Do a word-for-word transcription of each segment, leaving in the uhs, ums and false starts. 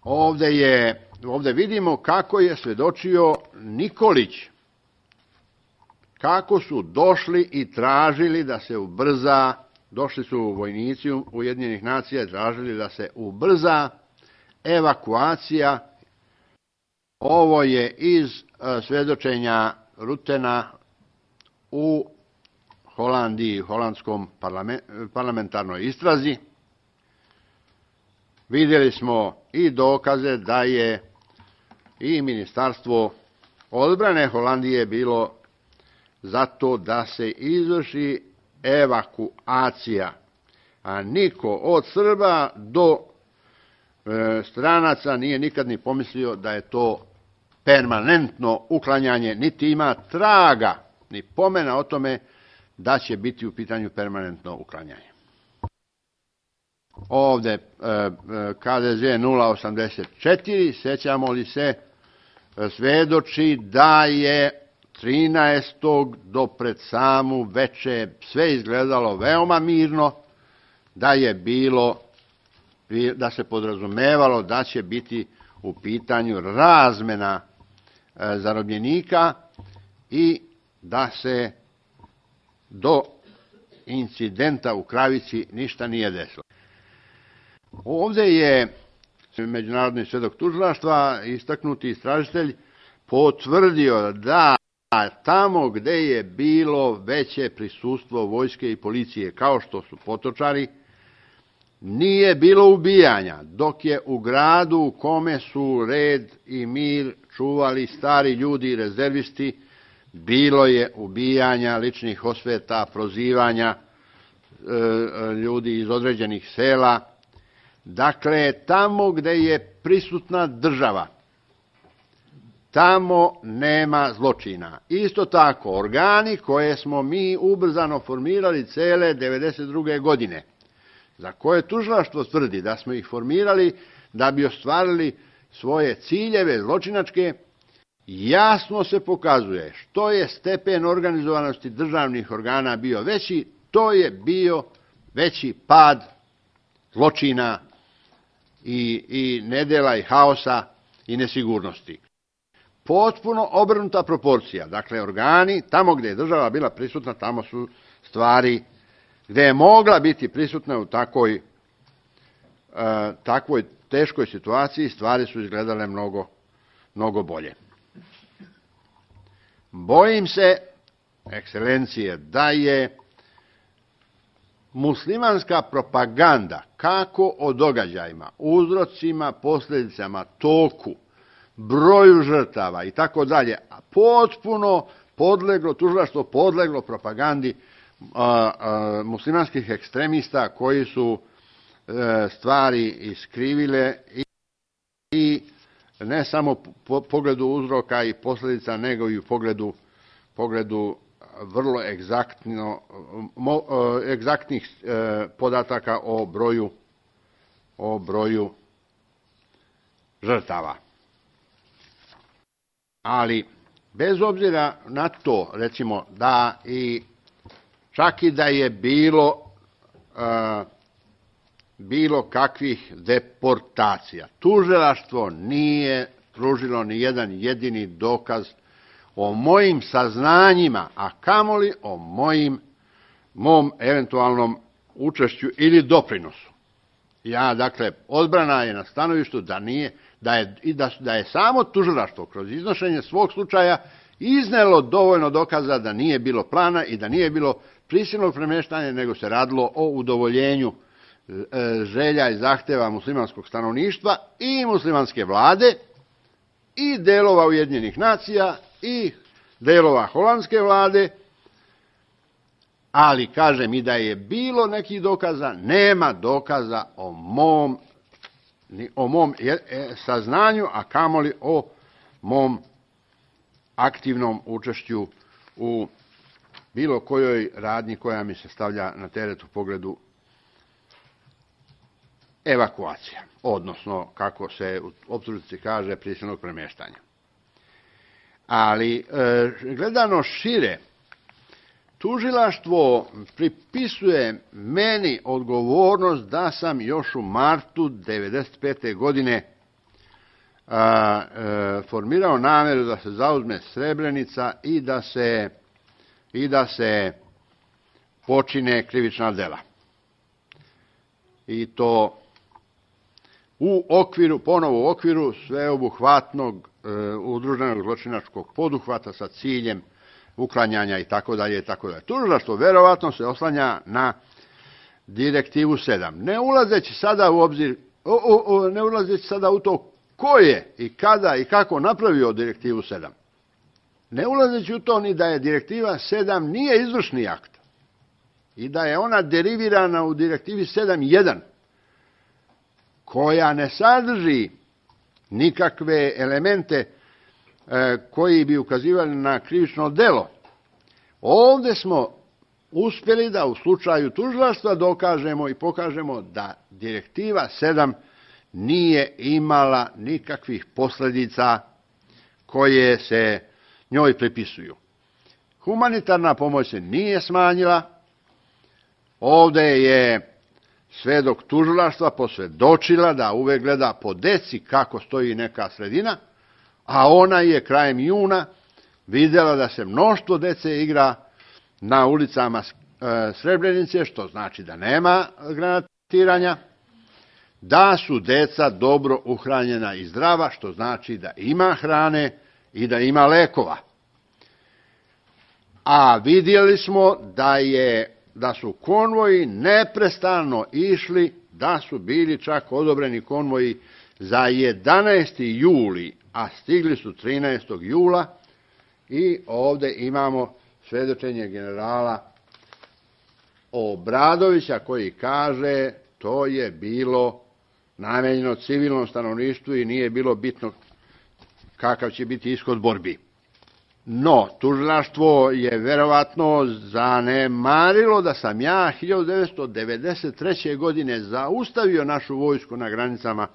Ovde, je, ovde vidimo kako je svedočio Nikolić, kako su došli i tražili da se ubrza, došli su vojnici Ujedinjenih nacija i tražili da se ubrza evakuacija. Ovo je iz svedočenja Rutena u Holandiji, holandskom parlamentarnoj istrazi. Vidjeli smo i dokaze da je i Ministarstvo odbrane Holandije bilo zato da se izvrši evakuacija, a niko od Srba do e, stranaca nije nikad ni pomislio da je to permanentno uklanjanje, niti ima traga, ni pomena o tome da će biti u pitanju permanentno uklanjanje. Ovde K D Z nula osamdeset četiri, sećamo li se, svedoči da je trinaestog do pred samu veče sve izgledalo veoma mirno, da je bilo, da se podrazumevalo da će biti u pitanju razmena zarobljenika i da se do incidenta u Kravici ništa nije desilo. Ovde je međunarodni svedok tužilaštva, istaknuti istražitelj, potvrdio da tamo gde je bilo veće prisustvo vojske i policije, kao što su Potočari, nije bilo ubijanja, dok je u gradu u kome su red i mir čuvali stari ljudi i rezervisti, bilo je ubijanja, ličnih osveta, prozivanja e, ljudi iz određenih sela. Dakle, tamo gde je prisutna država, tamo nema zločina. Isto tako, organi koje smo mi ubrzano formirali cele devedeset druge godine, za koje tužilaštvo tvrdi da smo ih formirali da bi ostvarili svoje ciljeve zločinačke, jasno se pokazuje što je stepen organizovanosti državnih organa bio veći, to je bio veći pad zločina i, i nedela i haosa i nesigurnosti. Potpuno obrnuta proporcija. Dakle, organi, tamo gde je država bila prisutna, tamo su stvari, gde je mogla biti prisutna u takvoj, e, takvoj teškoj situaciji, stvari su izgledale mnogo, mnogo bolje. Bojim se, ekscelencije, da je muslimanska propaganda, kako o događajima, uzrocima, posljedicama, toku, broju žrtava i tako dalje, potpuno podleglo, tužilaštvo podleglo propagandi a, a, muslimanskih ekstremista koji su e, stvari iskrivile i, i ne samo po pogledu uzroka i posljedica, nego i u pogledu, pogledu vrlo egzaktno, mo, egzaktnih e, podataka o broju, o broju žrtava. Ali, bez obzira na to, recimo, da i čak i da je bilo e, bilo kakvih deportacija, tužilaštvo nije pružilo ni jedan jedini dokaz o mojim saznanjima, a kamoli o mojim, mom eventualnom učešću ili doprinosu. Ja, dakle, odbrana je na stanovištu da nije, da je, da, da je samo tužilaštvo kroz iznošenje svog slučaja iznelo dovoljno dokaza da nije bilo plana i da nije bilo prisilnog premeštanja, nego se radilo o udovoljenju e, želja i zahteva muslimanskog stanovništva i muslimanske vlade i delova Ujedinjenih nacija i delova holandske vlade, ali kažem i da je bilo nekih dokaza, nema dokaza o mom, o mom saznanju, a kamoli o mom aktivnom učešću u bilo kojoj radnji koja mi se stavlja na teret u pogledu evakuacija, odnosno, kako se u optužnici kaže, prisilnog premeštanja. Ali, e, gledano šire, tužilaštvo pripisuje meni odgovornost da sam još u martu devedeset pete godine a, e, formirao nameru da se zauzme Srebrenica i da se, i da se počine krivična dela. I to u okviru, ponovo u okviru sveobuhvatnog e, udruženog zločinačkog poduhvata sa ciljem uklanjanja i tako dalje i tako dalje. Tužilaštvo verovatno se oslanja na direktivu sedam. Ne ulazeći sada u obzir, o, o, o, ne ulazeći sada u to ko je i kada i kako napravio direktivu sedam. Ne ulazeći u to ni da je direktiva sedam nije izvršni akt i da je ona derivirana u direktivi sedam jedan, koja ne sadrži nikakve elemente e, koji bi ukazivali na krivično delo. Ovdje smo uspjeli da u slučaju tužilaštva dokažemo i pokažemo da direktiva sedam nije imala nikakvih posljedica koje se njoj pripisuju. Humanitarna pomoć se nije smanjila. Ovdje je svedok tužilaštva posvjedočila da uvek gleda po deci kako stoji neka sredina, a ona je krajem juna vidjela da se mnoštvo dece igra na ulicama Srebrenice, što znači da nema granatiranja, da su deca dobro uhranjena i zdrava, što znači da ima hrane i da ima lekova. A vidjeli smo da je da su konvoji neprestano išli, da su bili čak odobreni konvoji za jedanaesti juli, a stigli su trinaestog jula i ovdje imamo svedočenje generala Obradovića koji kaže to je bilo namenjeno civilnom stanovništvu i nije bilo bitno kakav će biti ishod borbi. No, tužilaštvo je verovatno zanemarilo da sam ja hiljadu devetsto devedeset treće. godine zaustavio našu vojsku na granicama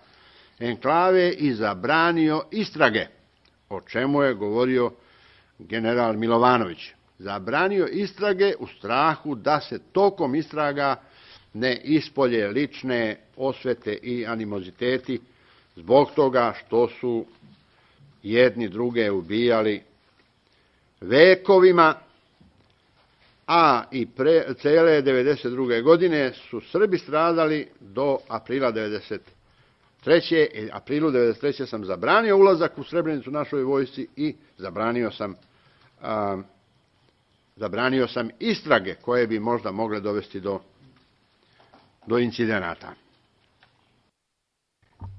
enklave i zabranio istrage, o čemu je govorio general Milovanović. Zabranio istrage u strahu da se tokom istraga ne ispolje lične osvete i animoziteti zbog toga što su jedni druge ubijali vekovima, a i pre, cele devedeset druge. godine su Srbi stradali do aprila devedeset treće. I aprilu devedeset treće. sam zabranio ulazak u Srebrenicu našoj vojsci i zabranio sam, a, zabranio sam istrage koje bi možda mogle dovesti do, do incidenata.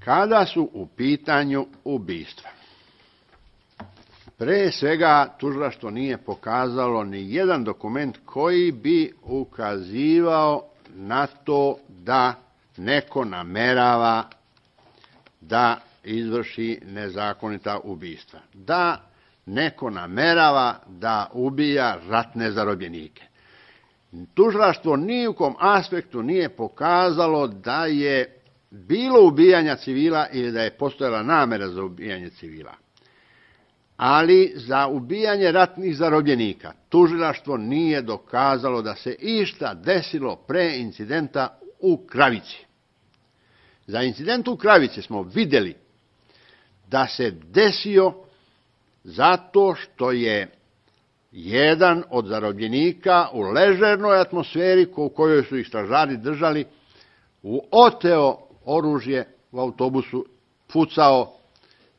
Kada su u pitanju ubistva, pre svega tužilaštvo nije pokazalo ni jedan dokument koji bi ukazivao na to da neko namerava da izvrši nezakonita ubistva, da neko namerava da ubija ratne zarobljenike. Tužilaštvo ni u kom aspektu nije pokazalo da je bilo ubijanja civila ili da je postojala namera za ubijanje civila. Ali za ubijanje ratnih zarobljenika tužilaštvo nije dokazalo da se išta desilo pre incidenta u Kravici. Za incident u Kravici smo vidjeli da se desio zato što je jedan od zarobljenika u ležernoj atmosferi u kojoj su ih stražari držali oteo oružje u autobusu, pucao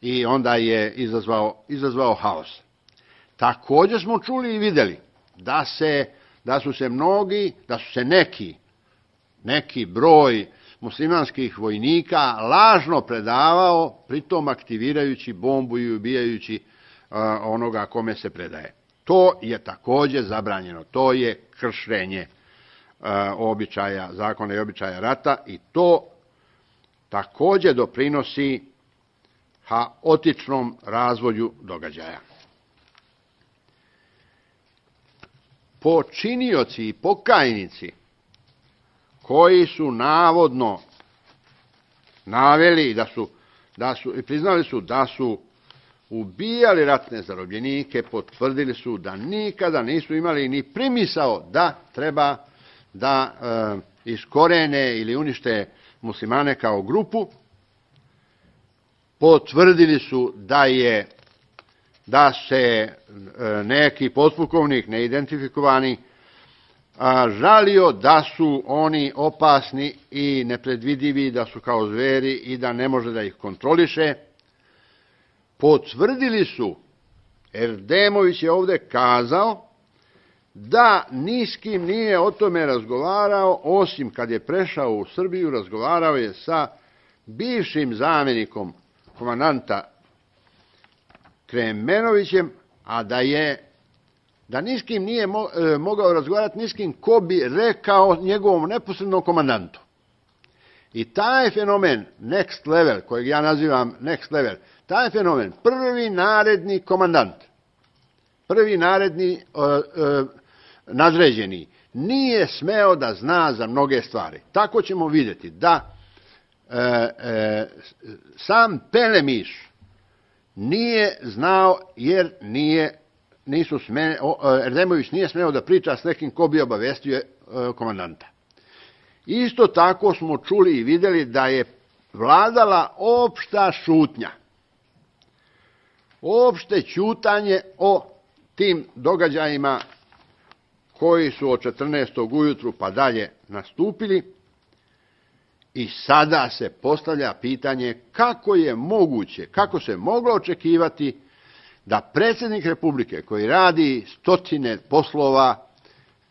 i onda je izazvao, izazvao haos. Također smo čuli i vidjeli da, se, da su se mnogi, da su se neki, neki broj muslimanskih vojnika lažno predavao, pritom aktivirajući bombu i ubijajući uh, onoga kome se predaje. To je također zabranjeno, to je kršenje uh, običaja, zakona i običaja rata i to također doprinosi haotičnom razvoju događaja. Počinioci i pokajnici koji su navodno naveli da su, da su i priznali su da su ubijali ratne zarobljenike, potvrdili su da nikada nisu imali ni primisao da treba da e, iskorene ili unište muslimane kao grupu potvrdili su da je da se neki potpukovnik neidentifikovani žalio da su oni opasni i nepredvidivi, da su kao zveri i da ne može da ih kontroliše. Potvrdili su, Erdemović je ovde kazao, da ni s kim nije o tome razgovarao, osim kad je prešao u Srbiju, razgovarao je sa bivšim zamjenikom komandanta Kremenovićem, a da je da ni s kim nije mogao razgovarati, ni s kim ko bi rekao njegovom neposrednom komandantu. I taj fenomen, next level, kojeg ja nazivam next level, taj fenomen, prvi naredni komandant, prvi naredni uh, uh, nadređeni, nije smeo da zna za mnoge stvari. Tako ćemo vidjeti da uh, uh, sam Pelemiš nije znao jer nije, nisu sme, uh, Erdemović nije smeo da priča s nekim ko bi obavestio uh, komandanta. Isto tako smo čuli i vidjeli da je vladala opšta šutnja. Opšte ćutanje o tim događajima koji su od četrnaestog ujutru pa dalje nastupili i sada se postavlja pitanje kako je moguće, kako se moglo očekivati da predsjednik Republike koji radi stotine poslova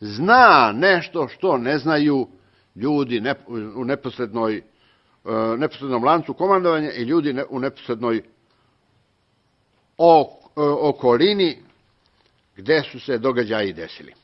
zna nešto što ne znaju ljudi u neposrednoj, neposrednom lancu komandovanja i ljudi u neposrednoj okolini gde su se događaji desili.